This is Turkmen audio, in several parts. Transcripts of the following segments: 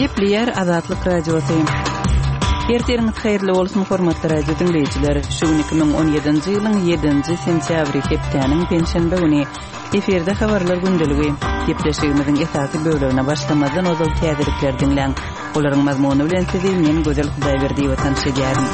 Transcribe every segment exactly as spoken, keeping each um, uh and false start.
Gepleýär Azatlyk Radiosy. Ertiriňiz haýyrly bolsun, hormatly radio diňleýjiler. Şu gün iki müň on ýedinji ýylyň ýedinji sentýabry, hepdäniň penşenbe güni. Efirde habarlar gündeligi. Gepleşigimiziň esasy bölegine başlamazdan ozal täzelikleri diňläň. Olaryň mazmuny bilen sizi men Gözel Hudaýberdiýewa tanyş edýärin.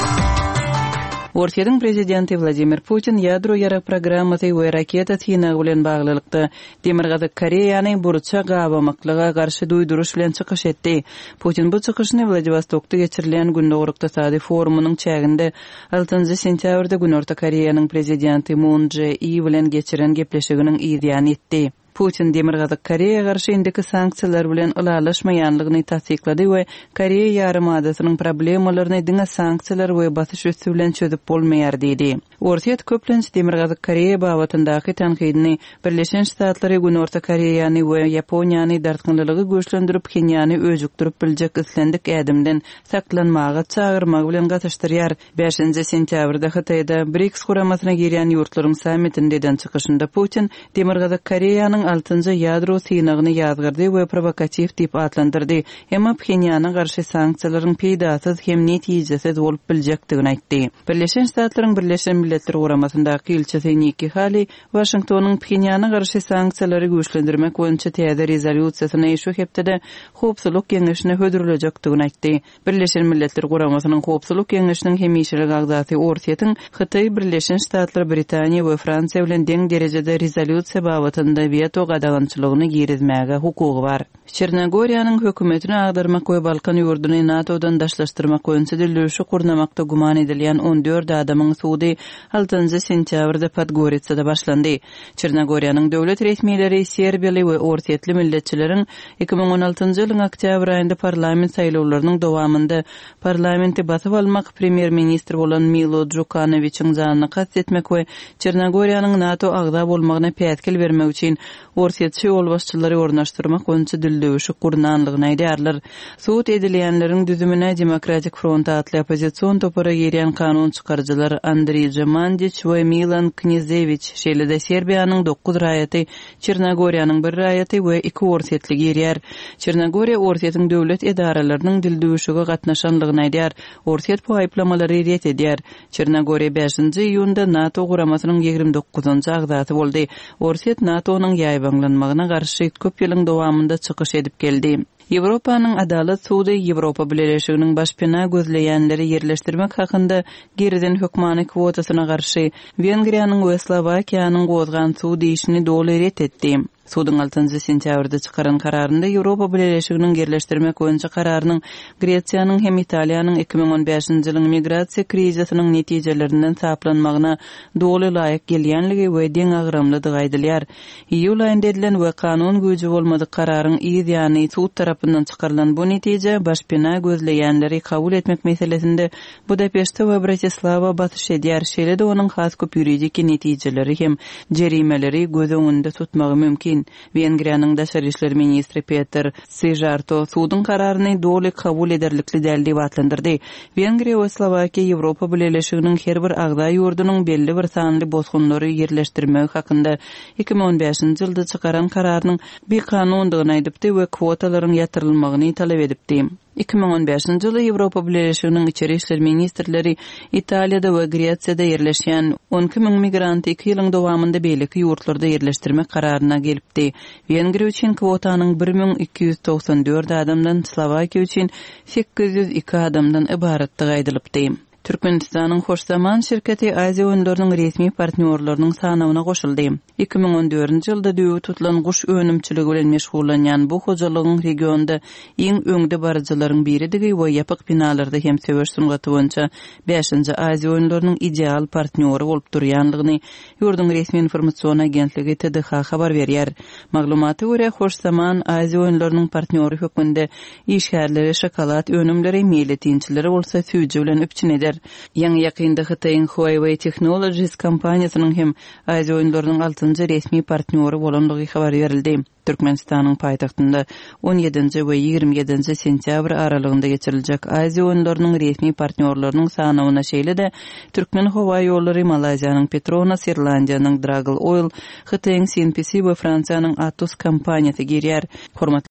Orsýetiň prezidenti Wladimir Putin ýadro ýarag programmasy we raketa synagy bilen baglylykda Demirgazyk Koreýany burça gabamaklyga garşy duýduryş bilen çykyş etdi. Putin bu çykyşyny Wladiwostokda geçirilýän Gündogar ykdysady forumynyň çäginde altynjy sentýabrda Günorta Koreýanyň prezidenti Mun Çže I bilen geçiren gepleşiginiň yzýany etdi. Putin Demirgazyk Koreýa garşy indiki sanksiýalar bilen ylalaşmaýanlygyny tassyklady we Koreýa ýarymadasynyň problemalaryny diňe sanksiýalar we basyş üsti bilen çözüp bolmaýar diýdi. Orsýet köplenç Demirgazyk Koreýa babatyndaky tankydyny Birleşen Ştatlary, Günorta Koreýany we Ýaponiýany dartgynlylygy güýçlendirip, Phenýany öjükdirip biljek islendik ädimden saklanmaga çagyrmagy bilen gatyşdyrýar. Bäşinji sentýabrda Hytaýda BRICS guramasyna girýän ýurtlaryň sammitinde eden çykyşynda Putin Demirgazyk Koreýanyň altynjy ýadro synagyny ýazgyrdy we provokatiw diýip atlandyrdy. Emma Phenýana garşy sanksiýalaryň peýdasyz hem netijesiz bolup biljekdigini aýtdy. Birleşen Ştatlaryň Birleşen Milletler Guramasyndaky ilçisi Nikki Haley Waşingtonyň Phenýana garşy sanksiýalary güýçlendirmek boýunça täze rezolýusiýasyny şu hepdede Howpsuzlyk Geňeşine hödürlejekdigini aýtdy. Birleşen Milletler Guramasynyň Howpsuzlyk Geňeşiniň hemişelik agzasy Orsýetiň Hytaý, Birleşen Ştatlar, Britaniýa we Fransiýa bilen deň derejede rezolýusiýa babatynda weto gadagançylygyny girizmäge hukugy bar. Çernogoriýanyň hökümetini agdarmak we Balkan ýurduny NATO-dan daşlaşdyrmak boýunça dildüwşük gurnamakda güman edilýän on dört adamyň sudy altynjy sentýabrda Podgoritsada başlandy. Çernogoriýanyň döwlet resmileri serbiýaly we orsýetli milletçileriň iki müň on altynjy ýylyň oktýabr aýynda parlament saýlawlarynyň dowamynda parlamenti basyp almak, premýer-ministr bolan Milo Djukanowiçiň janyny kast etmek we Çernogoriýanyň NATO agza bolmagyna päsgel bermek üçin orsýetçi ýolbaşçylary ornaşdyrmak boýunça dildüwşük gurnanlygyny aýdýarlar. Sud edilýänleriň düzümine Demokratik Front atly oppozision topara girýän kanun çykaryjylar Andrija Mandiç we Milan Knezewiç, şeýle-de Serbiýanyň dokuz raýaty, Çernogoriýanyň bir raýaty we iki orsýetli girýär. Çernogoriýa Orsýetiň döwlet edaralarynyň dildüwşüge gatnaşanlygyny aýdýar. Orsýet bu aýyplamalary ret edýär. Çernogoriýa bäşinji iýunda NATO guramasynyň ýigrimi dokuzynjy agzasy boldy. Orsýet NATO-nyň ýaýbaňlanmagyna garşy köp ýylyň dowamynda çykyş edip geldi. Ýewropanyň Adalat sudy Ýewropa Bileleşiginiň başpena gözleýänleri ýerleşdirmek hakynda girizen hökmany kwotasyna garşy Wengriýanyň we Slowakiýanyň gozgan sud işini doly ret etdi. Suduň altynjy sentýabrda çykaran kararynda Ýewropa Bileleşiginiň ýerleşdirmek boýunça kararynyň Gresiýanyň hem Italiýanyň iki müň on bäşinji ýylyň migrasiýa krizisiniň netijelerinden saplanmagyna doly laýyk gelýänligi we deňagramlydygy aýdylýar. Iýul aýynda edilen we kanun güýji bolmadyk kararyň yz ýany sud tarapyndan çykarylan bu netije başpena gözleýänleri kabul etmek meselesinde Budapeşte we Bratislava basyş edýär. Şeýle-de onuň has köp ýuridik netijeleri hem jerimeleri göz öňünde tutmagy mümkin. Wengriýanyň daşary işler ministri Peter Szijjarto suduň kararyny doly kabul ederlikli däl diýip atlandyrdy. Wengriýa we Slowakiýa Ýewropa Bileleşiginiň her bir agza ýurdunyň belli bir sanly bosgunlary ýerleşdirmegi hakynda iki müň on bäşinji ýylda çykaran kararynyň bikanundygyny aýdypdy we kwotalaryň ýatyrylmagyny talap edipdi. Iki müň on bäşinji ýylda Ýewropa Bileleşiginiň içeri işler ministrleri Italiýada we Gresiýada ýerleşýän on iki müň migranty iki ýylyň dowamynda beýleki ýurtlarda ýerleşdirmek kararyna gelipdi. Wengriýa üçin kwotanyň bir müň iki ýüz togsan dört adamdan, Slowakiýa üçin sekiz ýüz iki adamdan ybaratdygy aýdylypdy. Türkmenistanyň Hoş Zaman şirketi Aziýa oýunlarynyň resmi partnýorlarynyň sanawyna goşuldy. Iki müň on dördünji ýylda düýbi tutulan guş önümçiligi bilen meşgullanýan bu hojalygyň regionda iň öňde baryjylaryň biridigi we ýapyk binalarda hem söweş sungaty boýunça bäşinji Aziýa oýunlarynyň ideal partnýory bolup durýanlygyny ýurduň resmi informasion agentligi T D H habar berýär. Maglumata görä, Hoş Zaman Aziýa oýunlarynyň partnýory hökmünde işgärleri şokolad önümleri, meýletinçileri bolsa süýji bilen üpjün eder. Ýaňy ýakynda Hytaýyň Huawei Technologies kompaniýasynyň hem Aziýa oýunlarynyň altynjy resmi partnýory bolanlygy habar berildi. Türkmenistanyň paýtagtynda on ýedinji we ýigrimi ýedinji sentýabr aralygynda geçiriljek Aziýa oýunlarynyň resmi partnýorlarynyň sanawyna şeýle-de Türkmen howa ýollary, Malaýziýanyň Petronas, Irlandiýanyň Dragon Oil, Hytaýyň C N P C we Fransiýanyň Atos kompaniýasy girýär. Hormatly